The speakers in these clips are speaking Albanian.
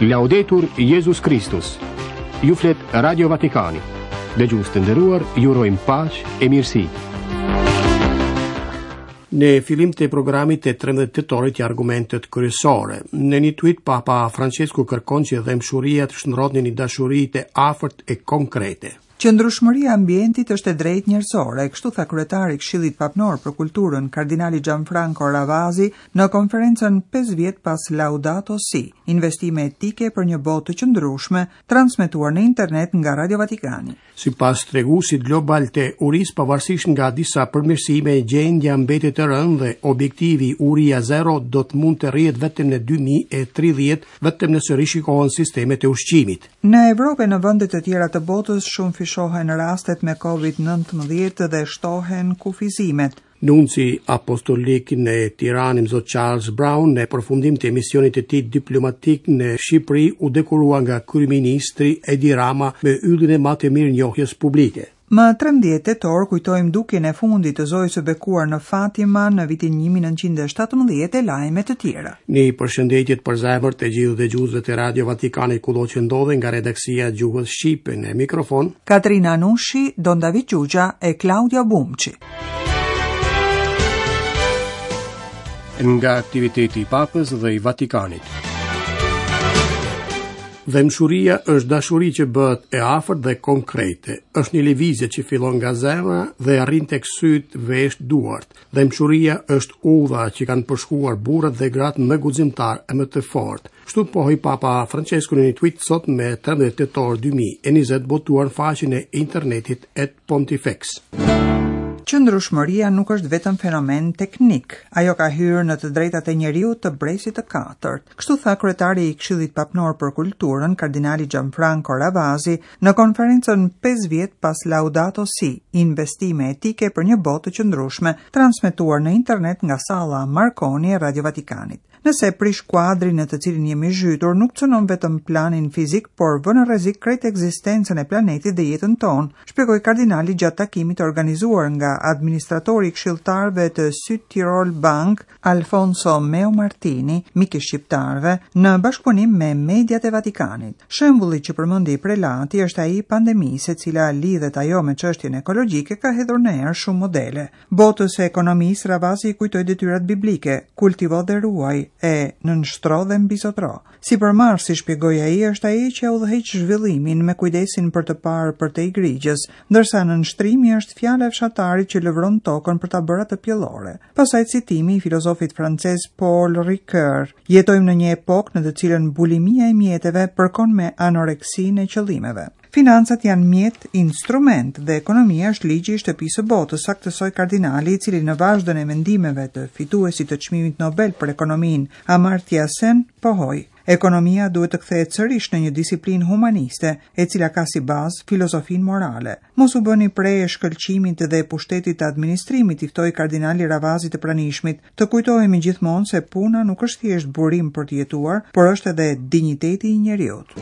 Laudetur Jezus Kristus. Ju flet Radio Vatikani. Dëgjues të nderuar, ju urojmë paqe e mirësi. Në fillim të programit të 13 tetorit ja argumentet kryesore. Në një tweet Papa Francesku kërkon që dhembshuria të shndërrohet në një dashuri të afërt e konkrete. Qëndrueshmëria e ambientit është e drejtë njerëzore, kështu tha kryetari i Këshillit Papnor për Kulturën, kardinali Gianfranco Ravasi, në konferencën 5 vjet pas Laudato Si, investime etike për një botë të qëndrueshme, transmetuar në internet nga Radio Vatikani. Sipas treguesit global të urisë, pavarësisht nga disa përmirësime, gjendja mbetet e rëndë dhe objektivi uria zero do të mund të arrihet vetëm në 2030, vetëm nëse rishikohen sistemet e ushqimit. Në Evropë e në vende të tjera të botës shumëfishohen rastet me Covid-19 dhe shtohen kufizimet. Nunci apostolik në Tiranë, Imzot Charles Brown, në përfundim të misionit të tij diplomatik në Shqipëri, u dekorua nga kryeministri Edi Rama me yllin e madh të mirënjohjes publike. Më 13 tetor kujtojmë dukjen e fundit të Zojës së Bekuar në Fatima në vitin 1917 e lajme të tjera. Një përshëndetje të përzemërt të gjithë dëgjuesve të Radio Vatikanit kudo që ndodhen nga redaksia e gjuhës shqipe në mikrofon. Katrina Nushi, Don David Xhuxha e Klaudia Bumçi. Nga aktiviteti i Papës dhe i Vatikanit. Dhembshuria është dashuri që bëhet e afërt dhe konkrete. Është një lëvizje që fillon nga zemra dhe arrin tek sytë, veshët, duart. Dhembshuria është udha që kanë përshkuar burrat dhe gratë më guximtarë e më të fortë. Kështu pohoi Papa Francesku në një tweet sot me 13 tetor 2020 botuar në faqen e internetit at Pontifex. Qëndrueshmëria nuk është vetëm fenomen teknik, ajo ka hyrë në të drejtat e njeriut të brezit të katërt. Kështu tha kryetari i Këshillit Papnor për Kulturën, kardinali Gianfranco Ravasi, në konferencën 5 vjet pas Laudato Si, investime etike për një botë të qëndrueshme, transmetuar në internet nga salla Marconi e Radio Vatikanit. Nëse prish kuadrin në të cilin jemi zhytur, nuk cënon vetëm planin fizik, por vë në rrezik krejt ekzistencën e planetit dhe jetën tonë, shpjegoi kardinali gjatë takimit të organizuar nga administratori i këshilltarëve të Südtirol Bank, Alfonso Meomartini, mik i shqiptarëve, në bashkëpunim me mediat e Vatikanit. Shembulli që përmendi prelati është ai i pandemisë, e cila lidhet ajo me çështjen ekologjike ka hedhur në erë shumë modele. Botës së ekonomisë, Ravasi i kujtoi detyrat biblike, kultivo dhe ruaj, e nënshtro dhe mbizotëro. Sipërmarrësi, shpjegoi ai, është ai që e udhëheq zhvillimin me kujdesin për të parë përtej grigjës, ndërsa nënshtrimi është fjala e fshatarit që lëvron tokën për ta bërë atë pjellore. Pastaj citimi i filozofit francez Paul Ricoeur, jetojmë në një epokë në të cilën bulimia e mjeteve përkon me anoreksinë e qëllimeve. Financat janë mjet, instrument dhe ekonomia është ligji i shtëpisë së botës, saktësoi kardinali, i cili në vazhdën e mendimeve të fituesit të çmimit Nobel për ekonominë, Amartya Sen, pohoi: Ekonomia duhet të kthehet sërish në një disiplinë humaniste, e cila ka si bazë filozofinë morale. Mos u bëni pre e shkëlqimit dhe pushtetit të administrimit, i ftoi kardinali Ravasi të pranishmit, Të kujtohemi gjithmonë se puna nuk është thjesht burim për të jetuar, por është edhe dinjiteti i njeriut.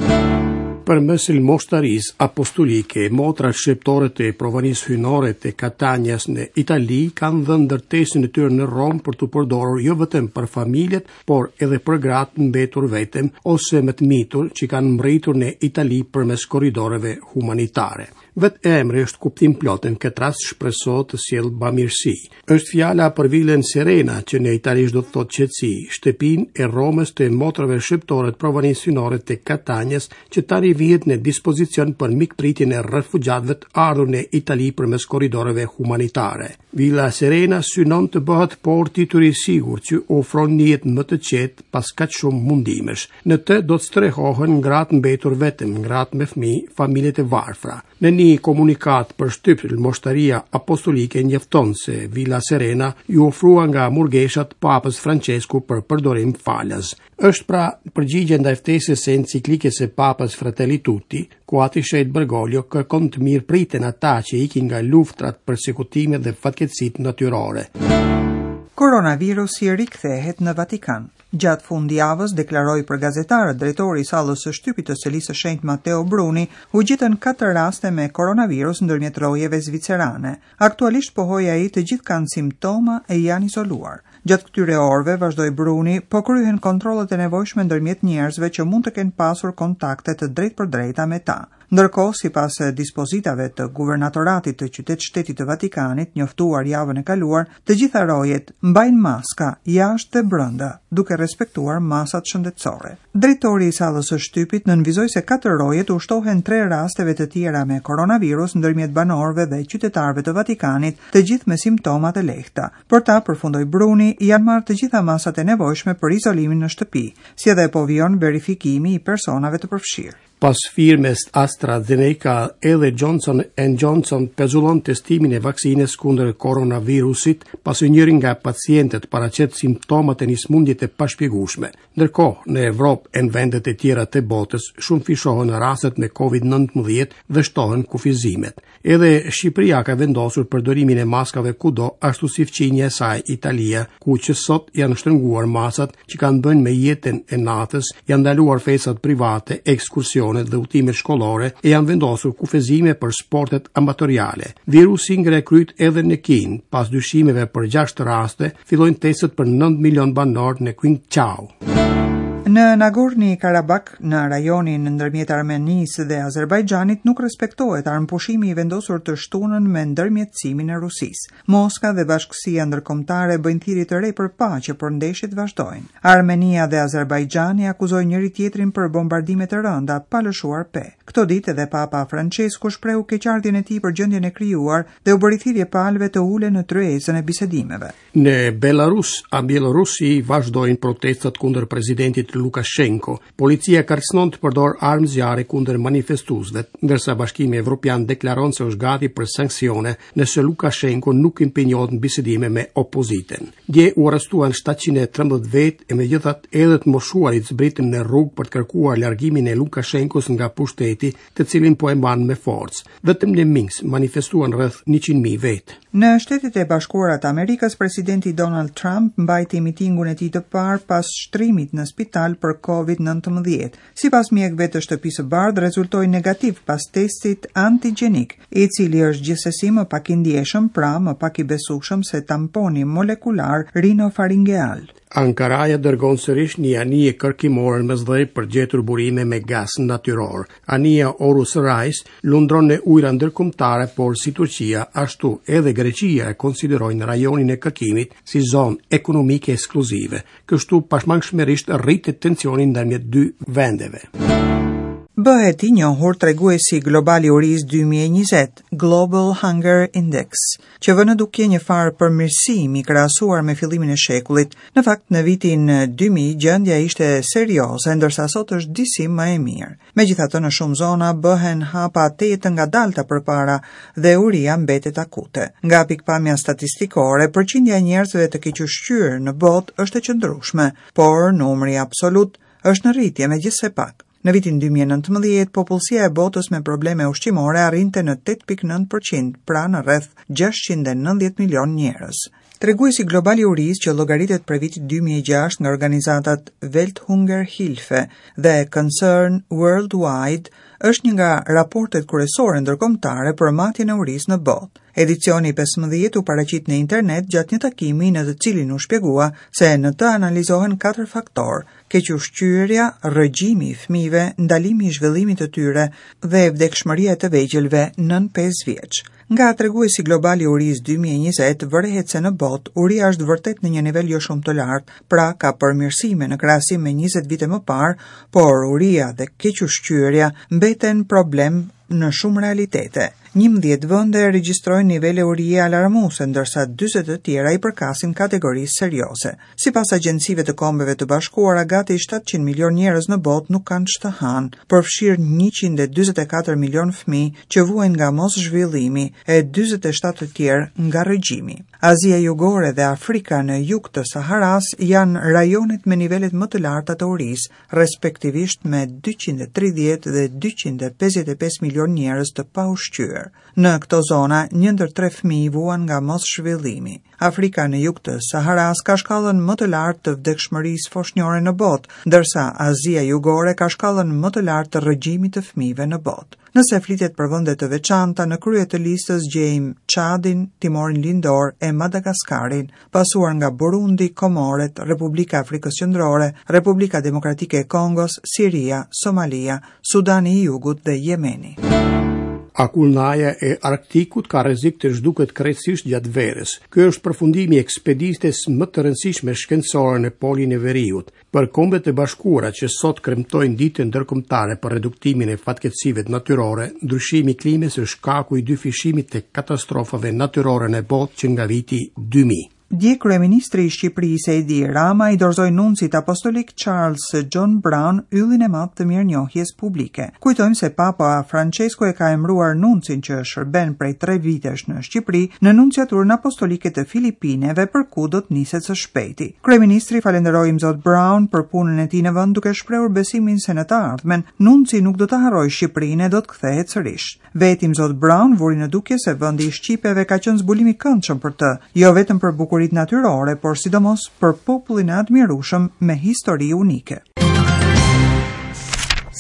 Përmes Lmoshtarisë Apostolike, motrat shqiptore të Provanisë Hyjnore të Katanias në Itali kanë dhënë ndërtesën e tyre në Romë për t'u përdorur jo vetëm për familjet, por edhe për gratë mbetur vetëm ose me të mitur që kanë mbërritur në Itali përmes korridoreve humanitare. Vetë emri është kuptimplotë, në këtë rast shpresohet të sjellë bamirësi. Është fjala për Vilën Serena, që në italisht do të thotë qetësi, shtëpinë e Romës të motrave shqiptore të Provanisë Hyjnore të Katanias, që tani vihet në dispozicion për mikpritjen e refugjatëve të ardhur në Itali përmes korridoreve humanitare. Vila Serena synon të bëhet porti i tyre i sigurt që ofron një jetë më të qetë pas kaq shumë mundimesh. Në të do të strehohen gratë mbetur vetëm, gratë me fëmijë, familjet e varfra. Në një komunikatë për shtyp, Lmoshtaria Apostolike njofton se Vila Serena iu ofrua nga murgeshat Papës Francesku për përdorim falas. Është pra përgjigje ndaj ftesës së enciklikës së Papës Fratelli Tutti, ku Ati i Shenjtë Bergoglio kërkon të mirëpriten ata që ikin nga luftrat, persekutimet dhe fatkeqësitë natyrore. Koronavirusi rikthehet në Vatikan. Gjatë fundjavës, deklaroi për gazetarët drejtori i sallës së shtypit të Selisë së Shenjtë Matteo Bruni, u gjetën katër raste me koronavirus ndërmjet rojeve zvicerane. Aktualisht pohoi ai të gjithë kanë simptoma e janë izoluar. Gjatë këtyre orëve, vazhdoi Bruni, po kryhen kontrollet e nevojshme ndërmjet njerëzve që mund të kenë pasur kontakte të drejtpërdrejta me ta. Ndërkohë, sipas dispozitave të Guvernatoratit të Qytet-Shtetit të Vatikanit, njoftuar javën e kaluar, të gjitha rojet mbajnë maska jashtë dhe brenda, duke respektuar masat shëndetësore. Drejtori i sallës së shtypit nënvizoi se katër rojet u shtohen tre rasteve të tjera me koronavirus ndërmjet banorëve dhe qytetarëve të Vatikanit, të gjithë me simptoma të lehta. Për ta, përfundoi Bruni, janë marrë të gjitha masat e nevojshme për izolimin në shtëpi, si edhe po vijon verifikimi i personave të përfshirë. Pas firmës AstraZeneca edhe Johnson and Johnson pezullon testimin e vaksinës kundër koronavirusit, pasi njëri nga pacientët paraqet simptomat e një sëmundje të pashpjegueshme. Ndërkohë, në Evropë e në vendet e tjera të botës shumëfishohen rastet me COVID-19 dhe shtohen kufizimet. Edhe Shqipëria ka vendosur përdorimin e maskave kudo, ashtu si fqinja e saj Italia, ku që sot janë shtrënguar masat që kanë të bëjnë me jetën e natës, janë ndaluar festat private, ekskursionet dhe udhëtimet shkollore e janë vendosur kufizime për sportet amatoriale. Virusi ngre kryet edhe në Kinë, pas dyshimeve për 6 raste, fillojnë testet për 9 milion banorë në Qingqiao. Në Nagorni Karabak, në rajonin ndërmjet Armenisë dhe Azerbajxhanit nuk respektohet armëpushimi i vendosur të shtunën me ndërmjetësimin e Rusisë. Moska dhe bashkësia ndërkombëtare bëjnë thirrje të re për paqe, por ndeshjet vazhdojnë. Armenia dhe Azerbajxhani akuzojnë njëri-tjetrin për bombardime të rënda pa lëshuar pe. Këto ditë edhe Papa Françesku shprehu keqardhjen e tij për gjendjen e krijuar dhe u bëri thirrje palëve të ulen në tryezën e bisedimeve. Në Belarus a Bjellorusi vazhdojnë protestat kundër presidentit Lukashenko. Policia kërcënon të përdorë armë zjarri kundër manifestuesve, ndërsa Bashkimi Evropian deklaron se është gati për sanksione nëse Lukashenko nuk impenjohet në bisedime me opozitën. Dje u arrestuan 713 vetë e megjithatë edhe të moshuarit zbritën në rrugë për të kërkuar largimin e Lukashenkos nga pushteti, të cilin po e mban me forcë. Vetëm në Minsk manifestuan rreth 100.000 vetë. Në Shtetet e Bashkuara të Amerikës, presidenti Donald Trump mbajti mitingun e tij të parë pas shtrimit në spital për COVID-19. Sipas mjekëve të Shtëpisë së Bardhë, rezultoi negativ pas testit antigjenik, i cili është gjithsesi më pak i ndjeshëm, pra më pak i besueshëm se tamponi molekular rinofaringeal. Ankaraja dërgon sërish një anije kërkimore në Mesdhe për të gjetur burime me gaz natyror. Anija Oruç Reis lundron në ujëra ndërkombëtare, por si Turqia, ashtu edhe Greqia e konsiderojnë rajonin e kërkimit si zonë ekonomike ekskluzive. Kështu pashmangshmërisht rritet tensioni ndërmjet dy vendeve. Bëhet i njohur treguesi global i urisë 2020, Global Hunger Index, që vë në dukje një farë përmirësimi krahasuar me fillimin e shekullit. Në fakt, në vitin 2000 gjendja ishte serioze, ndërsa sot është disi më e mirë. Megjithatë, në shumë zona bëhen hapa tejet të ngadalta përpara dhe uria mbetet akute. Nga pikëpamja statistikore, përqindja e njerëzve të kequshqyer në botë është e qëndrueshme, por numri absolut është në rritje, megjithëse pak. Në vitin 2019, popullsia e botës me probleme ushqimore arrinte në 8.9%, pra në rreth 690 milion njerëz. Treguesi global i urisë që llogaritet prej vitit 2006 nga organizatat Welthungerhilfe dhe Concern Worldwide është një nga raportet kryesore ndërkombëtare për matjen e urisë në botë. Edicioni i 15 u paraqit në internet gjatë një takimi në të cilin u shpjegua se në të analizohen katër faktorë: kequshqyerja, rrëgjimi i fëmijëve, ndalimi i zhvillimit të tyre dhe vdekshmëria e të vegjëlve nën 5 vjeç. Nga treguesi global i urisë 2020 vërehet se në botë uria është vërtet në një nivel jo shumë të lartë, pra ka përmirësime në krahasim me 20 vite më parë, por uria dhe kequshqyerja mbeten problem në shumë realitete. 11 vende regjistrojnë nivele urie alarmuese, ndërsa 40 të tjera i përkasin kategorisë serioze. Sipas agjencive të Kombeve të Bashkuara, gati 700 milion njerëz në botë nuk kanë ç'të hanë, përfshirë 144 milion fëmijë që vuajnë nga moszhvillimi e 47 të tjerë nga rrëgjimi. Azia Jugore dhe Afrika në jug të Saharasë janë rajonet me nivelet më të larta të urisë, respektivisht me 230 dhe 255 milion njerëz të paushqyer. thyer. Në këto zona, një ndër tre fëmijë vuan nga moszhvillimi. Afrika në jug të Saharasë ka shkallën më të lartë të vdekshmërisë foshnjore në botë, ndërsa Azia Jugore ka shkallën më të lartë të rrëgjimit të fëmijëve në botë. Nëse flitet për vende të veçanta, në krye të listës gjejmë Çadin, Timorin Lindor e Madagaskarin, pasuar nga Burundi, Komoret, Republika e Afrikës Qendrore, Republika Demokratike e Kongos, Siria, Somalia, Sudani i Jugut dhe Jemeni. Akullnaja e Arktikut ka rrezik të zhduket krejtësisht gjatë verës. Ky është përfundimi i ekspeditës më të rëndësishme shkencore në Polin e Veriut. Për Kombet e Bashkuara që sot kremtojnë Ditën Ndërkombëtare për Reduktimin e Fatkeqësive Natyrore, ndryshimi i klimës është shkaku i dyfishimit të katastrofave natyrore në botë që nga viti 2000. Dje kryeministri i Shqipërisë Edi Rama i dorëzoi nuncit apostolik Charles John Brown yllin e madh të mirënjohjes publike. Kujtojmë se Papa Francesku e ka emëruar nuncin që shërben prej 3 vitesh në Shqipëri në nunciaturën apostolike të Filipineve për ku do të niset së shpejti. Kryeministri falënderoi Imzot Brown për punën e tij në vend duke shprehur besimin se në të ardhmen nunci nuk do të harrojë Shqipërinë e do të kthehet sërish. Vetë Imzot Brown vuri në dukje se vendi i shqipeve ka qenë zbulim i këndshëm për të, jo vetëm për bukuritë natyrore, por sidomos për popullin e admirueshëm me histori unike.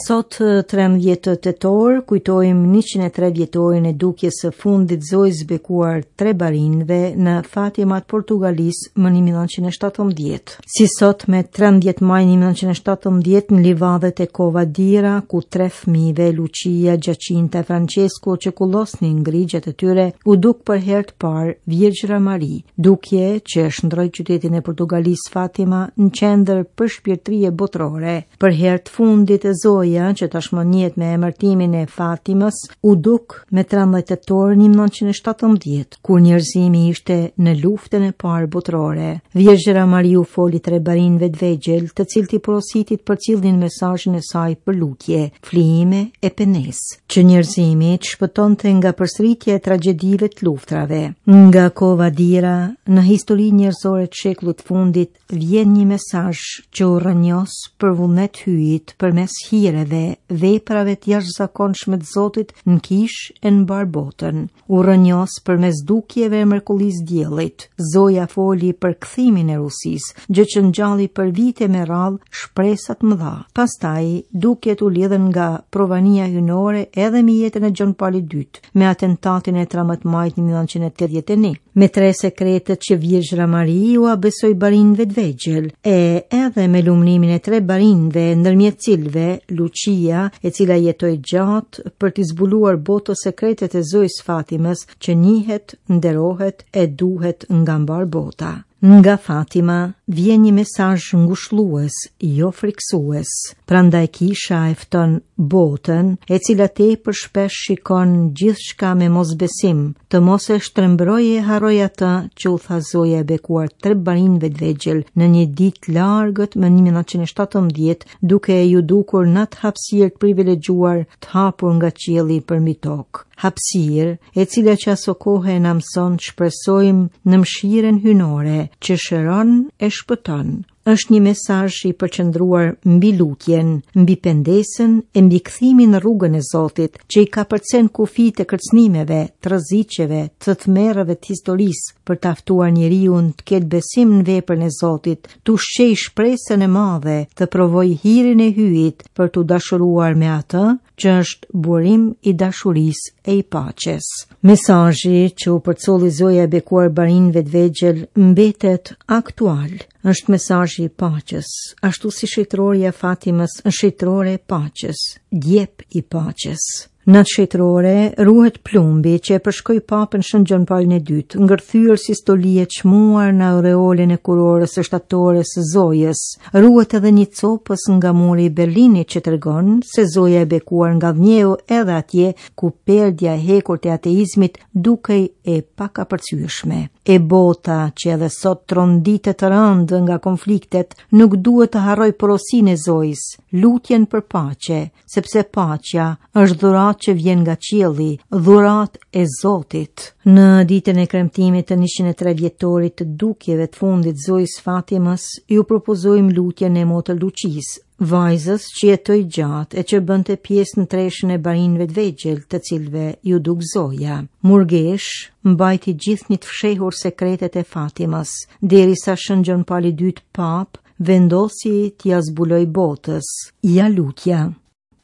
Sot 13 tetor kujtojmë 103 vjetorin e dukjes së fundit Zojës bekuar tre barinjve në Fatima të Portugalisë më 1917. Si sot me 13 maj 1917 në livadhet e Cova d'Ira, ku tre fëmijëve Lucia, Giacinta e Francesco që kullosnin grigjet e tyre, u duk për herë të parë Virgjëra Mari, dukje që e shndërroi qytetin e Portugalisë Fatima në qendër përshpirtërie botërore. Për herë të fundit Zoja, që tashmë njihet me emërtimin e Fatimës, u duk me 13 tetor 1917, kur njerëzimi ishte në luftën e parë botërore. Virgjëra Mari u foli tre barinjve të vegjël, të cilët i porositi të përcillnin mesazhin e saj për lutje, flijime e pendesë, që njerëzimi të shpëtonte nga përsëritja e tragjedive të luftrave. Nga Cova d'Ira, në historinë njerëzore të shekullit të fundit, vjen një mesazh që u rrënjos për vullnet Hyjit përmes hireve, veprave të jashtëzakonshme të Zotit në kishë e në mbarë botën. U rrënjos përmes dukjeve e mrekullisë diellit. Zoja foli për kthimin e Rusisë, gjë që ngjalli për vite me radhë shpresa të mëdha. Pastaj, dukjet u lidhën nga provania hyjnore edhe me jetën e Gjon Palit II. me atentatin e 13 majit 1981, me tre sekretet që Virgjëra Mari ua besoi barinjve të vegjël, e edhe me lumnimin e tre barinjve ndërmjet cilëve Lucia, e cila jetoi gjatë për t'i zbuluar botës sekretet e Zojës Fatimës që njihet, nderohet e duhet nga mbarë bota. Nga Fatima vjen një mesazh ngushëllues, jo frikësues. Prandaj kisha e fton botën, e cila tepër shpesh shikon gjithçka me mosbesim, të mos e shtrembërojë e harrojë atë që u tha Zoja e bekuar tre barinjve të vegjël në një ditë të largët më 1917, duke iu dukur në atë hapësirë të privilegjuar të hapur nga qielli përmbi tokë. Hapësirë, e cila që asokohe na mëson të shpresojmë në mëshirën hyjnore që shëron e shpëton. Është një mesazh i përqendruar mbi lutjen, mbi pendesën e mbi kthimin në rrugën e Zotit, që i kapërcen kufijtë e kërcënimeve, të rreziqeve, të tmerreve të historisë, për ta ftuar njeriun të ketë besim në veprën e Zotit, të ushqejë shpresën e madhe, të provojë hirin e Hyjit për t'u dashuruar me atë që është burim i dashurisë e i paqes. Mesazhi që u përcolli Zoja e bekuar barinjve të vegjël mbetet aktual. Është mesazhi i paqes, ashtu si shenjtorja e Fatimës është shenjtore e paqes, djep i paqes. Në atë shenjtore ruhet plumbi që e përshkoi papën Shën Gjon Palin e Dytë, ngërthyer si stoli e çmuar në aureolën e kurorës së shtatores së Zojës. Ruhet edhe një copëz nga muri i Berlinit që tregon se Zoja e bekuar ngadhënjeu edhe atje ku perdja e hekurt e ateizmit dukej e pakapërcyeshme. E bota që edhe sot tronditet rëndë nga konfliktet nuk duhet të harrojë porosinë e Zojës, lutjen për paqe, sepse paqja është dhuratë. dhuratë që vjen nga qielli, dhuratë e Zotit. Në ditën e kremtimit të 103 vjetorit të dukjeve të fundit Zojës Fatimës, ju propozojmë lutjen e Motër Luçisë, vajzës që jetoi gjatë e që bënte pjesë në treshen e barinjve të vegjël, të cilëve iu duk Zoja. Murgeshë, mbajti gjithnjë të fshehur sekretet e Fatimës, derisa Shën Gjon Pali II Papë vendosi t'ia zbulojë botës. Ja lutja.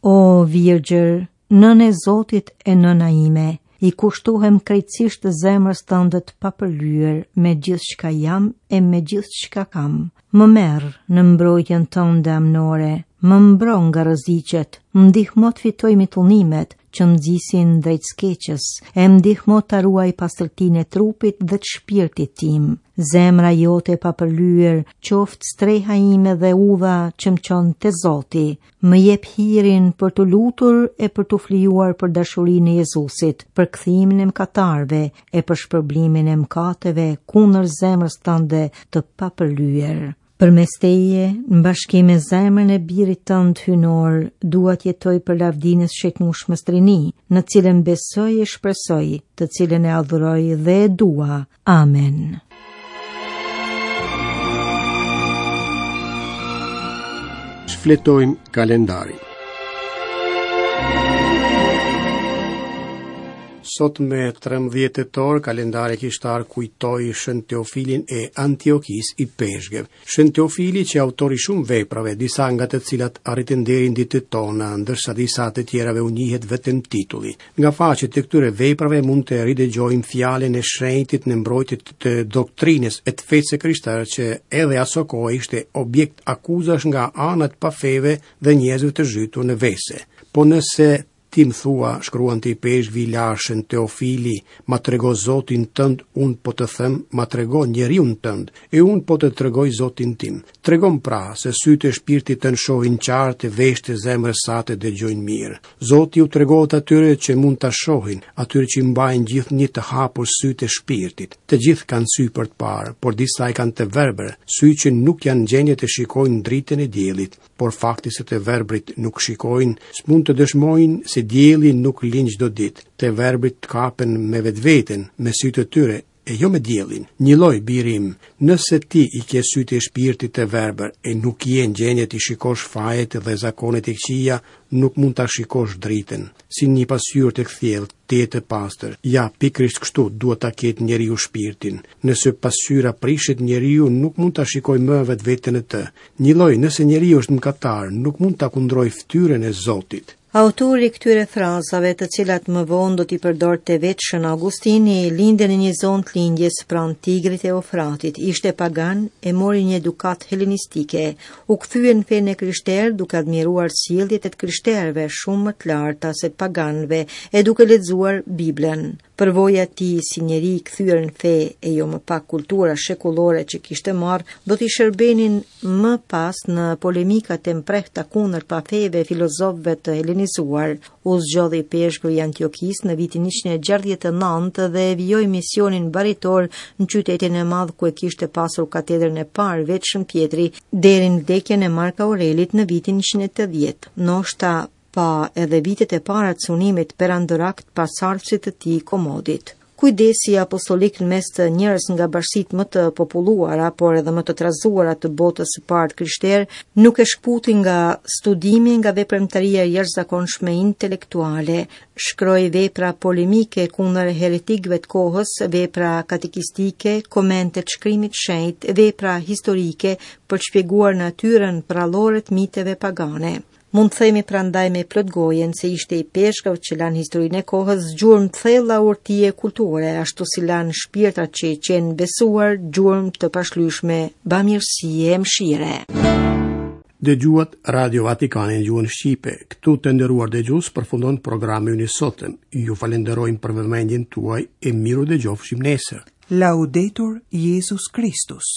O Virgjër, nënë e Zotit e nëna ime, i kushtohem krejtësisht zemrës tënde të papërlyer me gjithçka jam e me gjithçka kam. Më merr në mbrojtjen tënde amnore, më mbro nga rreziqet, më ndihmo të fitoj mitëllimet që më nxisin drejt së keqes, e më ndihmo ta ruaj pastërtinë e trupit dhe të shpirtit tim. Zemra jote e papërlyer, qoftë streha ime dhe udha që më çon te Zoti. Më jep hirin për t'u lutur e për t'u flijuar për dashurinë e Jezusit, për kthimin e mëkatarëve e për shpërblimin e mëkateve kundër zemrës tënde të papërlyer. Përmes teje, në bashkim me zemrën e birit tënd hyjnor, dua të jetoj për lavdinë e së Shejtnushmes Trini, në cilën besoj e shpresoj, të cilën e adhuroj dhe e dua. Amen. Shfletojmë kalendarin. Sot me 13 tetor, kalendari kishtar kujtoi Shën Teofilin e Antiokisë ipeshkëv. Shën Teofili qe autor i shumë veprave, disa nga të cilat arritën deri në ditët tona, ndërsa disa të tjerave u njihet vetëm titulli. Nga faqet e këtyre veprave mund të ridëgjojmë fjalën e shenjtit në mbrojtje të doktrinës e të fesë së krishterë që edhe asokohe ishte objekt akuzash nga ana e të pafeve dhe njerëzve të zhytur në vese. Po nëse Ti më thua, shkruante ipeshkvi i lashtë Shën Teofili, ma trego Zotin tënd, unë po të them, ma trego njeriun tënd, e unë po të tregoj Zotin tim. Tregomë pra, se sytë e shpirtit tënd shohin qartë e veshët e zemrës sate dëgjojnë mirë. Zoti u tregohet atyre që mund ta shohin, atyre që i mbajnë gjithnjë të hapur sytë e shpirtit. Të gjithë kanë sy për të parë, por disa i kanë të verbër, sy që nuk janë në gjendje të shikojnë dritën e diellit. Por fakti se të verbrit nuk shikojnë, s'mund të dëshmojnë se dielli nuk lind çdo ditë. Të verbrit kapen me vetveten, me sytë e tyre, e jo me diellin. Njëlloj, biri im, nëse ti i ke sytë e shpirtit të verbër e nuk je në gjendje t'i shikosh fajet dhe zakonet e këqija, nuk mund ta shikosh dritën. Si një pasqyrë të kthjellët, tejet të pastër. Ja, pikërisht kështu duhet ta ketë njeriu shpirtin. Nëse pasqyra prishet, njeriu nuk mund ta shikojë më vetveten në të. Njëlloj, nëse njeriu është mëkatar, nuk mund ta kundrojë fytyrën e Zotit. Autori i këtyre frazave, të cilat më vonë do t'i përdorte vetë Shën Augustini, lindi në një zonë të lindjes pranë Tigrit e Eufratit, ishte pagan e mori një edukatë helenistike, u kthye në fenë e krishterë duke admiruar sjelljet e të krishterëve shumë më të larta se të paganëve e duke lexuar Biblën. Përvoja e tij si njeri i kthyer në fe e jo më pak kultura shekullore që kishte marrë, do t'i shërbenin më pas në polemikat e mprehta kundër pafeve e filozofëve të helenizuar. U zgjodh ipeshkëv i Antiokisë në vitin 169 dhe e vijoi misionin baritor në qytetin e madh ku e kishte pasur katedrën e parë vetë Shën Pjetri deri në vdekjen e Mark Aurelit në vitin 180. Ndoshta pa edhe vitet e para të sunimit perandorak të pasardhësit të tij Komodit. Kujdesi apostolik në mes të njërës nga bashkësitë më të populluara, por edhe më të trazuara të botës së parë të krishterë, nuk e shkëputi nga studimi nga veprimtaria e jashtëzakonshme intelektuale. Shkroi vepra polemike kundër heretikëve të kohës, vepra katekistike, komente të shkrimit të shenjtë, vepra historike për të shpjeguar natyrën përrallore të miteve pagane. Mund të themi prandaj me plot gojën se ishte ipeshkëv që la në historinë e kohës gjurmë të thella urtie kulture, ashtu si la në shpirtrat që i qenë besuar gjurmë të pashlyeshme bamirësie e mëshire. Dëgjuat Radio Vatikanin në gjuhën shqipe. Këtu të nderuar dëgjues përfundon programi ynë i sotëm. Ju falënderojmë për vëmendjen tuaj e mirudëgjofshim nesër. Laudetur Jezus Kristus.